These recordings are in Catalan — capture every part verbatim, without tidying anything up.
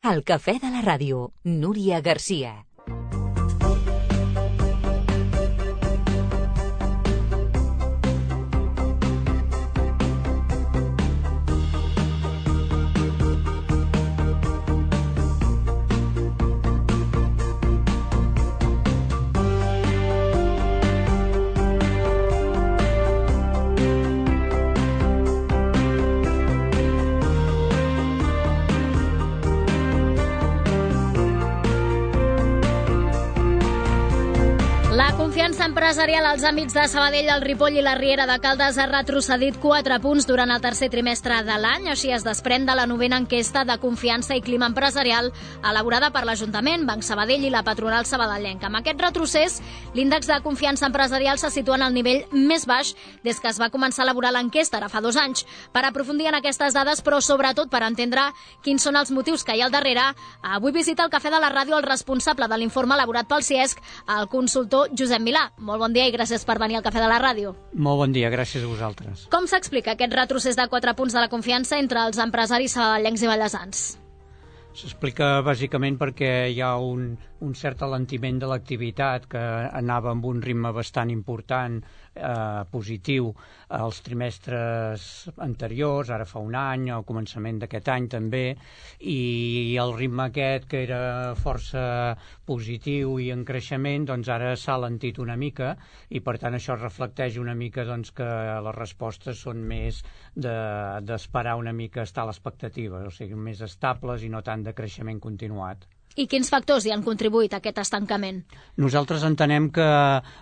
El cafè de la ràdio, Núria Garcia. Confiança empresarial als àmbits de Sabadell, el Ripoll i la Riera de Caldes ha retrocedit quatre punts durant el tercer trimestre de l'any. Així es desprèn de la novena enquesta de confiança i clima empresarial elaborada per l'Ajuntament, Banc Sabadell i la patronal sabadellenca. Amb aquest retrocés, l'índex de confiança empresarial se situa en el nivell més baix des que es va començar a elaborar l'enquesta, ara fa dos anys. Per aprofundir en aquestes dades, però sobretot per entendre quins són els motius que hi ha al darrere, avui visita el Cafè de la Ràdio el responsable de l'informe elaborat pel CIESC, el consultor Josep Milà. Molt bon dia i gràcies per venir al Cafè de la Ràdio. Molt bon dia, gràcies a vosaltres. Com s'explica aquest retrocés de quatre punts de la confiança entre els empresaris sabadellencs i ballesans? S'explica bàsicament perquè hi ha un, un cert alentiment de l'activitat que anava amb un ritme bastant important, eh, positiu, als trimestres anteriors, ara fa un any, al començament d'aquest any també, i el ritme aquest, que era força positiu i en creixement, doncs ara s'ha alentit una mica, i per tant això reflecteix una mica doncs, que les respostes són més d'esperar una mica estar a l'expectativa, o sigui, més estables i no tant de creixement continuat. I quins factors hi han contribuït a aquest estancament? Nosaltres entenem que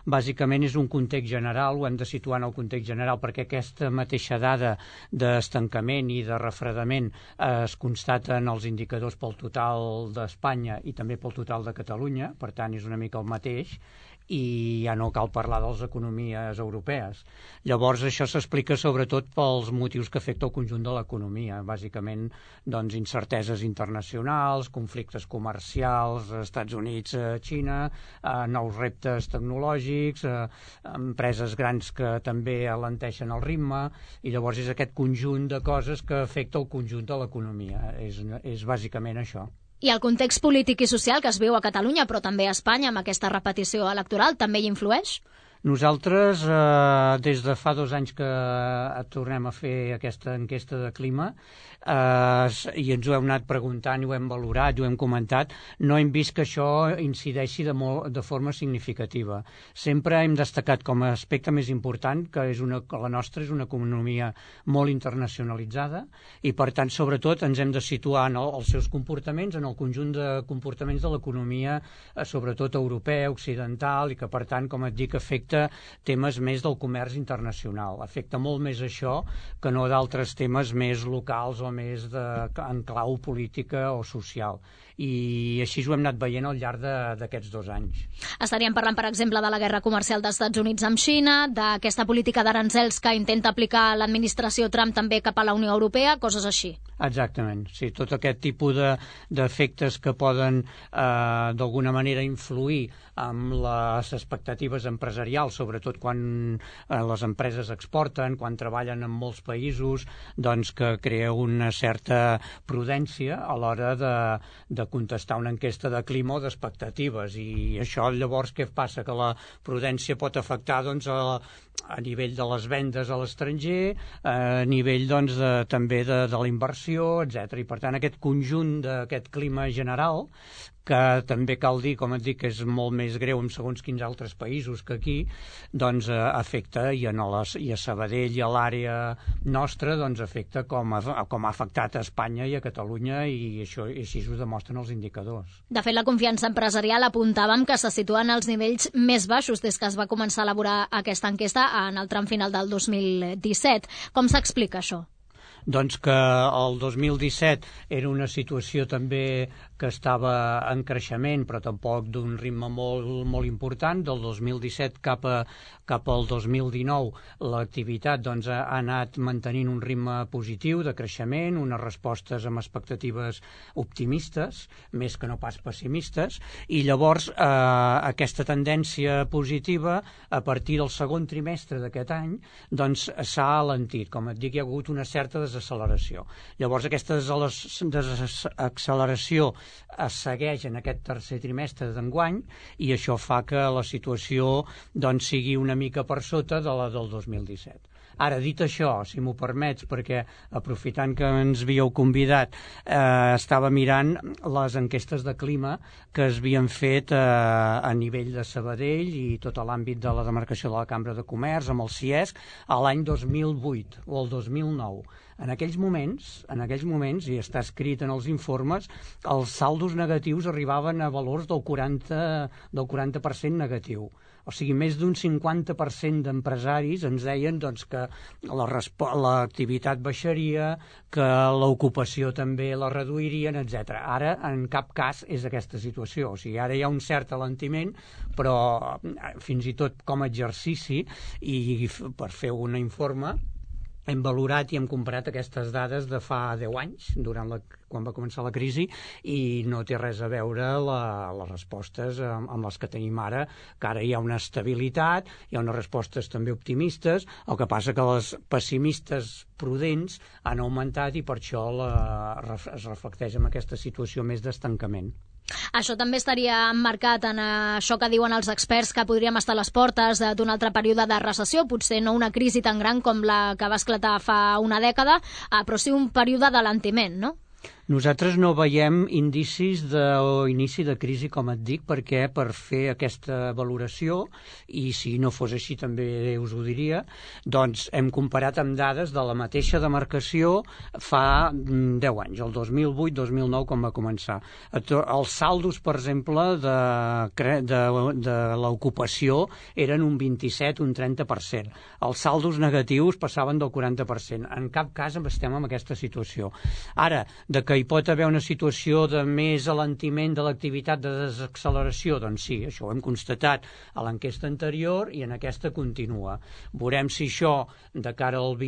bàsicament és un context general, ho hem de situar en el context general, perquè aquesta mateixa dada d'estancament i de refredament es constata en els indicadors pel total d'Espanya i també pel total de Catalunya, per tant és una mica el mateix, i ja no cal parlar de les economies europees. Llavors això s'explica sobretot pels motius que afecta el conjunt de l'economia, bàsicament doncs, incerteses internacionals, conflictes comercials, Estats Units, Xina, eh, nous reptes tecnològics, eh, empreses grans que també alenteixen el ritme, i llavors és aquest conjunt de coses que afecta el conjunt de l'economia, és, és bàsicament això. I el context polític i social que es viu a Catalunya, però també a Espanya, amb aquesta repetició electoral, també hi influeix? Nosaltres, eh, des de fa dos anys que tornem a fer aquesta enquesta de clima, eh, i ens ho hem anat preguntant i ho hem valorat i ho hem comentat, no hem vist que això incideixi de, molt, de forma significativa. Sempre hem destacat com a aspecte més important que, és una, que la nostra és una economia molt internacionalitzada i, per tant, sobretot, ens hem de situar en el, els seus comportaments, en el conjunt de comportaments de l'economia, eh, sobretot europea, occidental, i que, per tant, com et dic, afecta temes més del comerç internacional. Afecta molt més això que no d'altres temes més locals o més de, en clau política o social. I així ho hem anat veient al llarg d'aquests dos anys. Estaríem parlant, per exemple, de la guerra comercial dels Estats Units amb Xina, d'aquesta política d'aranzels que intenta aplicar l'administració Trump també cap a la Unió Europea, coses així. Exactament, sí, tot aquest tipus d'efectes de, que poden eh, d'alguna manera influir amb les expectatives empresarials, sobretot quan eh, les empreses exporten, quan treballen en molts països, doncs que crea una certa prudència a l'hora de, de contestar una enquesta de clima o d'expectatives, i això llavors què passa? Que la prudència pot afectar doncs, a, a nivell de les vendes a l'estranger, a nivell doncs, de, també de, de la inversió, etcètera. I per tant aquest conjunt d'aquest clima general, que també cal dir, com et dic, que és molt més greu en segons quins altres països que aquí, doncs eh, afecta, i, a les, i a Sabadell i a l'àrea nostra, doncs afecta com ha, com ha afectat a Espanya i a Catalunya, i això i així ho demostren els indicadors. De fet, la confiança empresarial apuntàvem que se situen als nivells més baixos des que es va començar a elaborar aquesta enquesta en el tram final del dos mil disset. Com s'explica això? Doncs que el dos mil disset era una situació també que estava en creixement, però tampoc d'un ritme molt, molt important. Del dos mil disset cap, a, cap al dos mil dinou l'activitat doncs, ha anat mantenint un ritme positiu de creixement, unes respostes amb expectatives optimistes, més que no pas pessimistes, i llavors eh, aquesta tendència positiva a partir del segon trimestre d'aquest any doncs s'ha alentit. Com et dic, hi ha hagut una certa desacceleració. Llavors, aquesta desacceleració es segueix en aquest tercer trimestre d'enguany i això fa que la situació doncs, sigui una mica per sota de la del dos mil disset. Ara, dit això, si m'ho permets, perquè aprofitant que ens havíeu convidat, eh, estava mirant les enquestes de clima que es havien fet eh, a nivell de Sabadell i tot l'àmbit de la demarcació de la Cambra de Comerç, amb el CIESC, a l'any dos mil vuit o el dos mil nou. En aquells moments, en aquells moments, i està escrit en els informes, els saldos negatius arribaven a valors del quaranta, del quaranta per cent negatiu. O sigui, més d'un cinquanta per cent d'empresaris ens deien doncs, que l'activitat baixaria, que l'ocupació també la reduirien, etcètera. Ara, en cap cas, és aquesta situació. O sigui, ara hi ha un cert alentiment, però fins i tot com a exercici, i per fer un informe, hem valorat i hem comparat aquestes dades de fa deu anys, durant la, quan va començar la crisi, i no té res a veure la, les respostes amb, amb les que tenim ara, que ara hi ha una estabilitat, hi ha unes respostes també optimistes, el que passa que les pessimistes prudents han augmentat i per això la, es reflecteix en aquesta situació més d'estancament. Això també estaria emmarcat en això que diuen els experts, que podríem estar a les portes d'un altre període de recessió, potser no una crisi tan gran com la que va esclatar fa una dècada, però sí un període d'alentiment, no? Nosaltres no veiem indicis d'inici de crisi, com et dic, perquè per fer aquesta valoració, i si no fos així també us ho diria, doncs hem comparat amb dades de la mateixa demarcació fa deu anys, el dos mil vuit dos mil nou, quan va començar. Els saldos, per exemple, de, de, de l'ocupació eren un vint-i-set, un trenta per cent. Els saldos negatius passaven del quaranta per cent. En cap cas estem en aquesta situació. Ara, de que hi pot haver una situació de més alentiment de l'activitat de desacceleració, doncs sí, això ho hem constatat a l'enquesta anterior i en aquesta continua. Veurem si això de cara al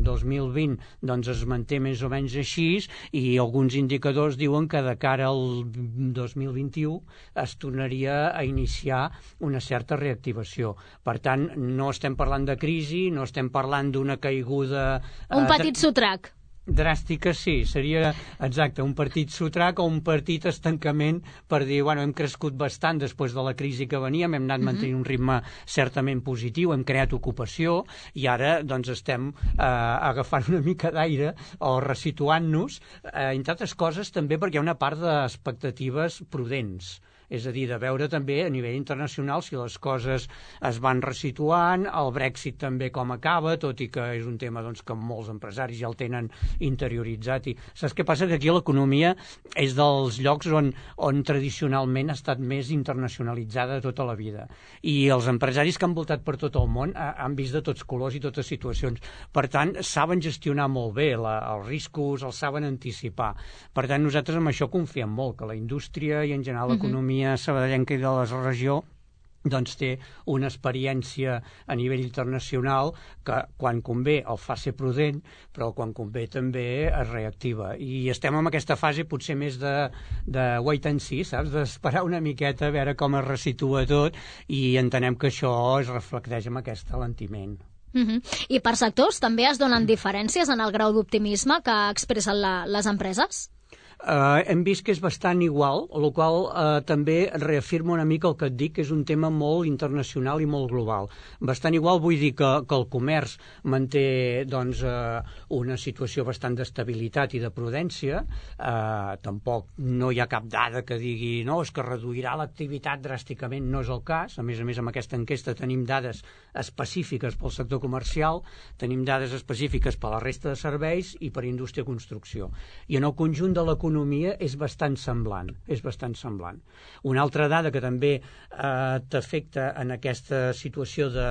dos mil vint doncs es manté més o menys així, i alguns indicadors diuen que de cara al dos mil vint-i-u es tornaria a iniciar una certa reactivació. Per tant, no estem parlant de crisi, no estem parlant d'una caiguda... Un petit sotrac. Dràstica, sí, seria exacte, un petit sotrac o un petit estancament per dir, bueno, hem crescut bastant després de la crisi que veníem, hem anat mantenint un ritme certament positiu, hem creat ocupació i ara doncs estem eh, agafant una mica d'aire o resituant-nos, eh, entre altres coses també perquè hi ha una part d'expectatives prudents. És a dir, de veure també a nivell internacional si les coses es van resituant, el Brexit també com acaba, tot i que és un tema doncs, que molts empresaris ja el tenen interioritzat. I saps què passa? Que aquí l'economia és dels llocs on, on tradicionalment ha estat més internacionalitzada tota la vida. I els empresaris que han voltat per tot el món han vist de tots colors i totes situacions. Per tant, saben gestionar molt bé la, els riscos, els saben anticipar. Per tant, nosaltres amb això confiem molt, que la indústria i en general l'economia sabadellenca i de la regió doncs té una experiència a nivell internacional que quan convé el fa ser prudent, però quan convé també es reactiva. I estem en aquesta fase potser més de, de wait and see, saps? D'esperar una miqueta a veure com es resitua tot i entenem que això es reflecteix en aquest alentiment. Uh-huh. I per sectors també es donen diferències en el grau d'optimisme que expressen la, les empreses? Uh, hem vist que és bastant igual, el qual uh, també reafirma una mica el que et dic, que és un tema molt internacional i molt global. Bastant igual vull dir que, que el comerç manté doncs, uh, una situació bastant d'estabilitat i de prudència, uh, tampoc no hi ha cap dada que digui no, és que reduirà l'activitat dràsticament, no és el cas. A més a més, amb aquesta enquesta tenim dades específiques pel sector comercial, tenim dades específiques per la resta de serveis i per indústria i construcció. I en el conjunt de l'economia l'economia és bastant semblant, és bastant semblant. Una altra dada que també eh, t'afecta en aquesta situació de,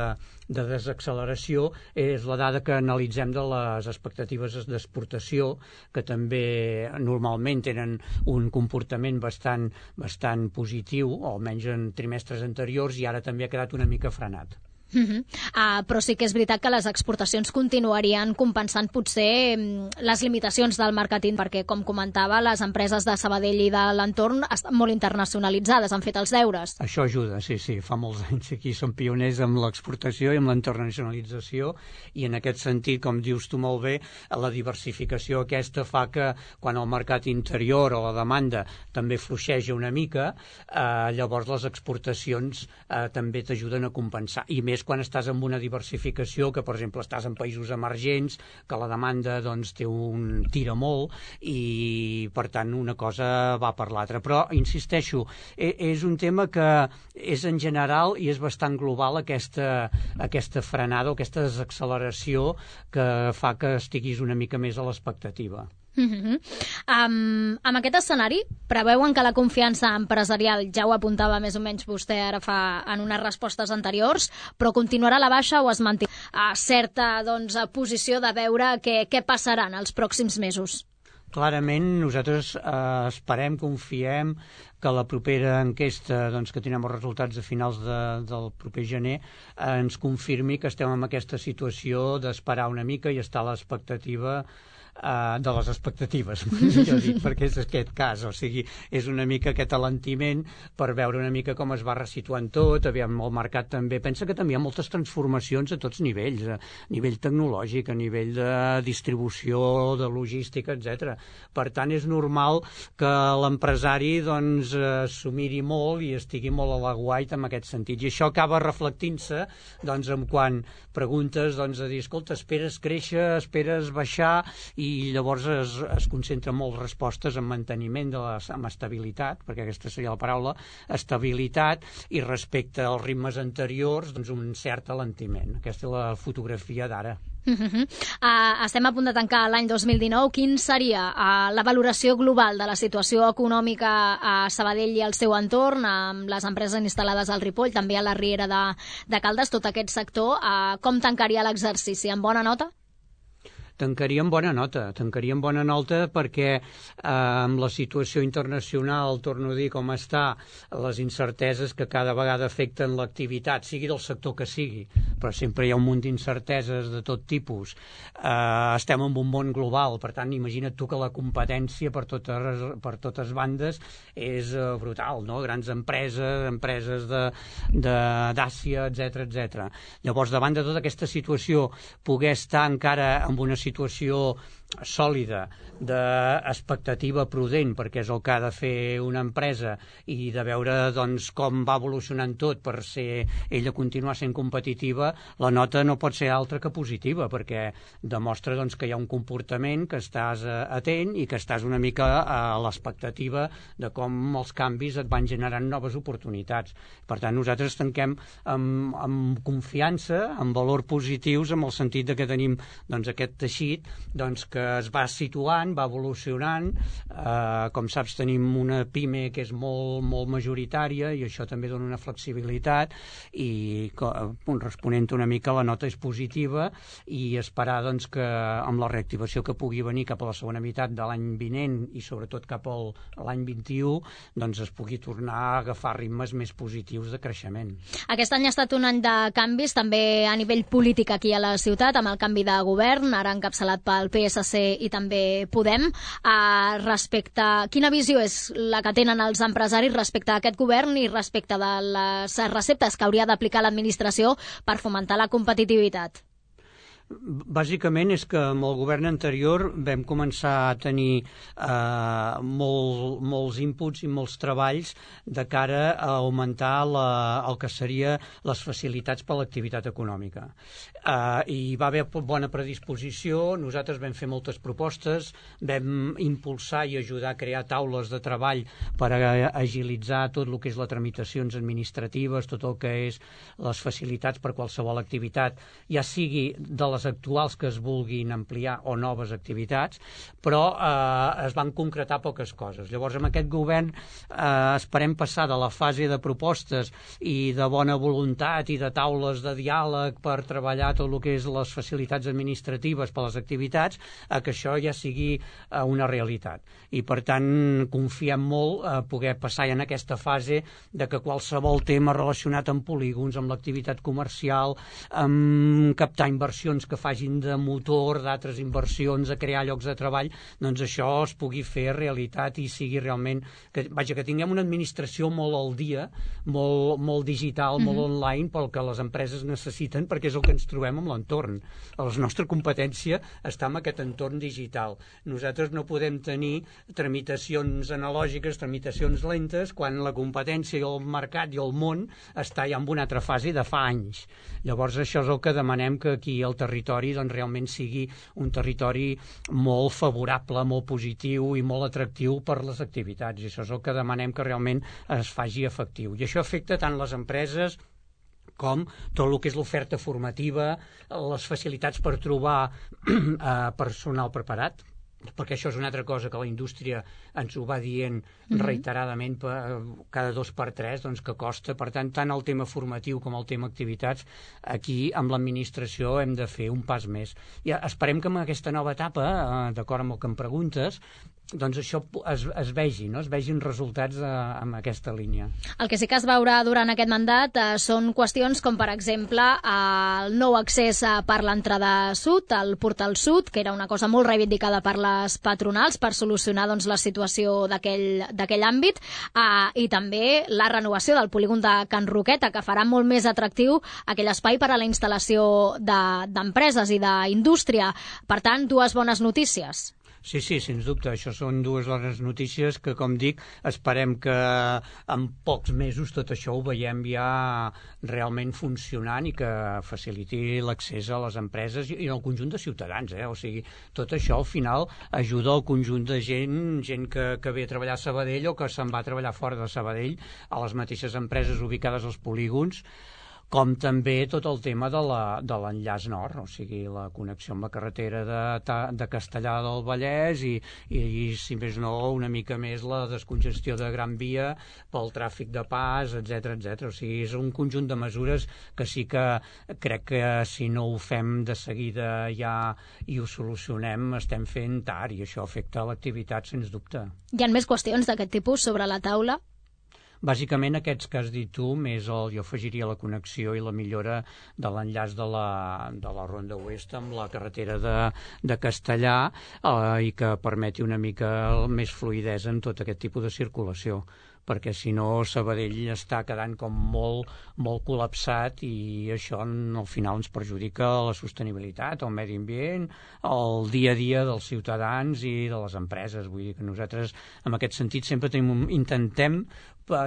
de desacceleració és la dada que analitzem de les expectatives d'exportació, que també normalment tenen un comportament bastant, bastant positiu, o almenys en trimestres anteriors, i ara també ha quedat una mica frenat. Uh -huh. uh, però sí que és veritat que les exportacions continuarien compensant potser les limitacions del màrqueting, perquè, com comentava, les empreses de Sabadell i de l'entorn estan molt internacionalitzades, han fet els deures. Això ajuda, sí, sí. Fa molts anys aquí som pioners amb l'exportació i amb la internacionalització, i en aquest sentit, com dius tu molt bé, la diversificació aquesta fa que quan el mercat interior o la demanda també fluixeja una mica, eh, llavors les exportacions eh, també t'ajuden a compensar. I més quan estàs amb una diversificació, que per exemple estàs en països emergents, que la demanda doncs té un tira molt i per tant una cosa va per l'altra. Però insisteixo, és un tema que és en general i és bastant global, aquesta, aquesta frenada o aquesta desacceleració que fa que estiguis una mica més a l'expectativa. Uh-huh. Um, amb aquest escenari, preveuen que la confiança empresarial, ja ho apuntava més o menys vostè ara fa en unes respostes anteriors, però continuarà a la baixa o es manté a certa doncs, posició de veure què, què passarà en els pròxims mesos? Clarament, nosaltres eh, esperem, confiem que la propera enquesta, doncs, que tindrem els resultats a finals de, del proper gener, eh, ens confirmi que estem en aquesta situació d'esperar una mica i estar a l'expectativa Uh, de les expectatives, millor dit, perquè és aquest cas, o sigui, és una mica aquest alentiment per veure una mica com es va resituant tot. Aviam, el mercat també, pensa que també hi ha moltes transformacions a tots nivells, a nivell tecnològic, a nivell de distribució, de logística, etcètera. Per tant, és normal que l'empresari doncs s'ho miri molt i estigui molt a l'aguait en aquest sentit, i això acaba reflectint-se doncs en quan preguntes doncs a dir, escolta, esperes créixer, esperes baixar, i llavors es, es concentra molt respostes en manteniment de la, amb estabilitat, perquè aquesta seria la paraula, estabilitat, i respecte als ritmes anteriors, doncs un cert alentiment. Aquesta és la fotografia d'ara. Uh -huh. uh, estem a punt de tancar l'any dos mil dinou. Quin seria uh, la valoració global de la situació econòmica a Sabadell i al seu entorn, amb les empreses instal·lades al Ripoll, també a la Riera de, de Caldes, tot aquest sector? Uh, com tancaria l'exercici? En bona nota? Tancaria amb bona nota, tancaria amb bona nota perquè eh, amb la situació internacional, torno a dir com està, les incerteses que cada vegada afecten l'activitat, sigui del sector que sigui, però sempre hi ha un munt d'incerteses de tot tipus. Eh, estem en un món global, per tant, imagina't tu que la competència per totes, per totes bandes és eh, brutal, no? Grans empreses, empreses d'Àsia, etcètera, etcètera. Llavors, davant de tota aquesta situació, poder estar encara en una situació situació sòlida, d'expectativa prudent, perquè és el que ha de fer una empresa, i de veure doncs, com va evolucionant tot per ser ella continuar sent competitiva, la nota no pot ser altra que positiva, perquè demostra doncs, que hi ha un comportament, que estàs atent i que estàs una mica a l'expectativa de com els canvis et van generant noves oportunitats. Per tant, nosaltres tanquem amb, amb confiança, amb valor positius, en el sentit de que tenim doncs, aquest teixit doncs, que es va situant, va evolucionant. Eh, com saps, tenim una PIME que és molt, molt majoritària, i això també dona una flexibilitat, i responent una mica la nota és positiva, i esperar doncs, que amb la reactivació que pugui venir cap a la segona meitat de l'any vinent i sobretot cap a l'any vint-i-u, doncs es pugui tornar a agafar ritmes més positius de creixement. Aquest any ha estat un any de canvis, també a nivell polític aquí a la ciutat, amb el canvi de govern, ara encapçalat pel P S C i també Podem. Uh, respecte, quina visió és la que tenen els empresaris respecte a aquest govern i respecte de les receptes que hauria d'aplicar l'administració per fomentar la competitivitat? Bàsicament és que amb el govern anterior vam començar a tenir eh, molt, molts inputs i molts treballs de cara a augmentar la, el que seria les facilitats per a l'activitat econòmica. Eh, hi va haver bona predisposició, nosaltres vam fer moltes propostes, vam impulsar i ajudar a crear taules de treball per a agilitzar tot el que és les tramitacions administratives, tot el que és les facilitats per a qualsevol activitat, ja sigui de les les actuals que es vulguin ampliar o noves activitats, però eh, es van concretar poques coses. Llavors, amb aquest govern eh, esperem passar de la fase de propostes i de bona voluntat i de taules de diàleg per treballar tot el que és les facilitats administratives per a les activitats, a que això ja sigui eh, una realitat. I, per tant, confiem molt a poder passar ja en aquesta fase de que qualsevol tema relacionat amb polígons, amb l'activitat comercial, amb captar inversions que facin de motor d'altres inversions, a crear llocs de treball, doncs això es pugui fer realitat i sigui realment... Que, vaja, que tinguem una administració molt al dia, molt, molt digital, mm-hmm. molt online, pel que les empreses necessiten, perquè és el que ens trobem amb l'entorn. La nostra competència està en aquest entorn digital. Nosaltres no podem tenir tramitacions analògiques, tramitacions lentes, quan la competència i el mercat i el món està ja en una altra fase de fa anys. Llavors això és el que demanem, que aquí el territori doncs, realment sigui un territori molt favorable, molt positiu i molt atractiu per les activitats. I això és el que demanem, que realment es faci efectiu. I això afecta tant les empreses com tot el que és l'oferta formativa, les facilitats per trobar personal preparat, perquè això és una altra cosa que la indústria ens ho va dient reiteradament cada dos per tres, doncs que costa. Per tant, tant el tema formatiu com el tema activitats, aquí amb l'administració hem de fer un pas més. I esperem que en aquesta nova etapa, d'acord amb el que em preguntes, doncs això es, es vegi, no? Es vegin resultats eh, en aquesta línia. El que sí que es veurà durant aquest mandat eh, són qüestions com, per exemple, eh, el nou accés eh, per l'entrada sud, el portal sud, que era una cosa molt reivindicada per les patronals per solucionar doncs, la situació d'aquell àmbit, eh, i també la renovació del polígon de Can Roqueta, que farà molt més atractiu aquell espai per a la instal·lació d'empreses de, i d'indústria. Per tant, dues bones notícies. Sí, sí, sens dubte. Això són dues bones notícies que, com dic, esperem que en pocs mesos tot això ho veiem ja realment funcionant i que faciliti l'accés a les empreses i al conjunt de ciutadans. Eh? O sigui, tot això al final ajuda al conjunt de gent, gent que, que ve a treballar a Sabadell o que se'n va a treballar fora de Sabadell, a les mateixes empreses ubicades als polígons, com també tot el tema de l'enllaç nord, o sigui, la connexió amb la carretera de, de Castellar del Vallès i, i, i, si més no, una mica més la descongestió de Gran Via pel tràfic de pas, etcètera, etcètera. O sigui, és un conjunt de mesures que sí que crec que si no ho fem de seguida ja i ho solucionem, estem fent tard, i això afecta l'activitat, sens dubte. Hi ha més qüestions d'aquest tipus sobre la taula? Bàsicament aquests que has dit tu, més el, jo afegiria la connexió i la millora de l'enllaç de, la, de la Ronda Oest amb la carretera de, de Castellar eh, i que permeti una mica més fluïdesa en tot aquest tipus de circulació, perquè si no Sabadell està quedant com molt, molt col·lapsat i això al final ens perjudica la sostenibilitat, el medi ambient, el dia a dia dels ciutadans i de les empreses. Vull dir que nosaltres en aquest sentit sempre tenim, intentem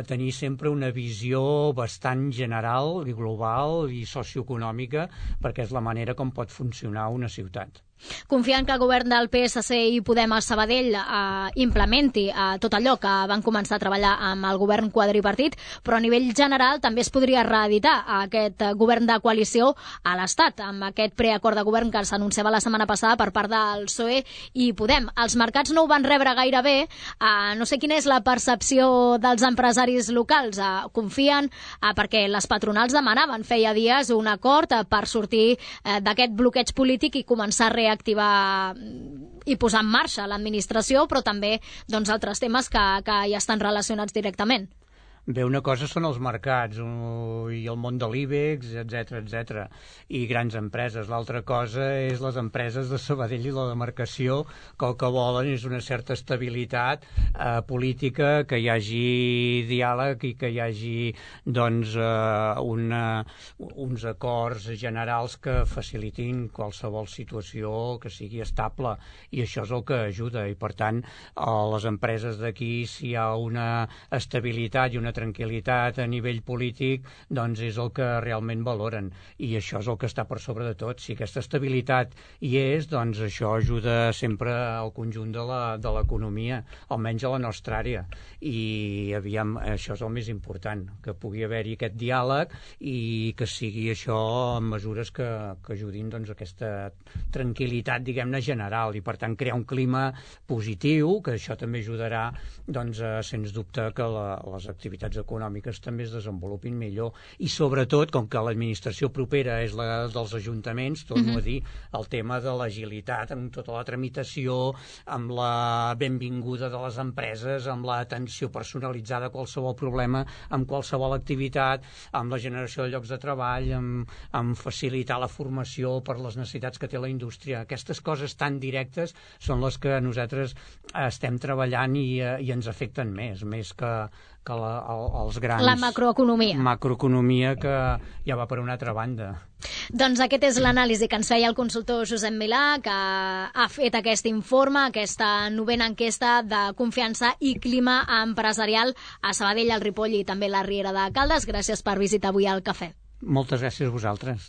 tenir sempre una visió bastant general i global i socioeconòmica, perquè és la manera com pot funcionar una ciutat. Confiant que el govern del P S C i Podem a Sabadell eh, implementi eh, tot allò que van començar a treballar amb el govern quadripartit, però a nivell general també es podria reeditar aquest govern de coalició a l'Estat, amb aquest preacord de govern que s'anunciava la setmana passada per part del P S O E i Podem. Els mercats no ho van rebre gaire bé, eh, no sé quina és la percepció dels empresaris locals. Eh, confien eh, perquè les patronals demanaven feia dies un acord eh, per sortir eh, d'aquest bloqueig polític i començar a reactivar i posar en marxa l'administració, però també doncs, altres temes que, que ja estan relacionats directament. Bé, una cosa són els mercats uh, i el món de l'IBEX, etcètera, etcètera, i grans empreses. L'altra cosa és les empreses de Sabadell i la demarcació, que el que volen és una certa estabilitat uh, política, que hi hagi diàleg i que hi hagi doncs, uh, una, uns acords generals que facilitin qualsevol situació que sigui estable, i això és el que ajuda. I, per tant, a les empreses d'aquí, si hi ha una estabilitat i una una tranquil·litat a nivell polític, doncs és el que realment valoren, i això és el que està per sobre de tot. Si aquesta estabilitat hi és, doncs això ajuda sempre al conjunt de la, de l'economia, almenys a la nostra àrea, i aviam, això és el més important, que pugui haver-hi aquest diàleg i que sigui això amb mesures que, que ajudin doncs, aquesta tranquil·litat, diguem-ne, general, i per tant crear un clima positiu, que això també ajudarà, doncs, a, sens dubte, que la, les activitats econòmiques també es desenvolupin millor. I sobretot, com que l'administració propera és la dels ajuntaments, torno uh-huh. a dir, el tema de l'agilitat amb tota la tramitació, amb la benvinguda de les empreses, amb l'atenció personalitzada a qualsevol problema, amb qualsevol activitat, amb la generació de llocs de treball, amb, amb facilitar la formació per les necessitats que té la indústria. Aquestes coses tan directes són les que nosaltres estem treballant i, i ens afecten més, més que, que la, el, els grans... La macroeconomia. Macroeconomia que ja va per una altra banda. Doncs aquest és l'anàlisi que ens feia el consultor Josep Milà, que ha fet aquest informe, aquesta novena enquesta de confiança i clima empresarial a Sabadell, al Ripoll i també la Riera de Caldes. Gràcies per visitar avui al Cafè. Moltes gràcies a vosaltres.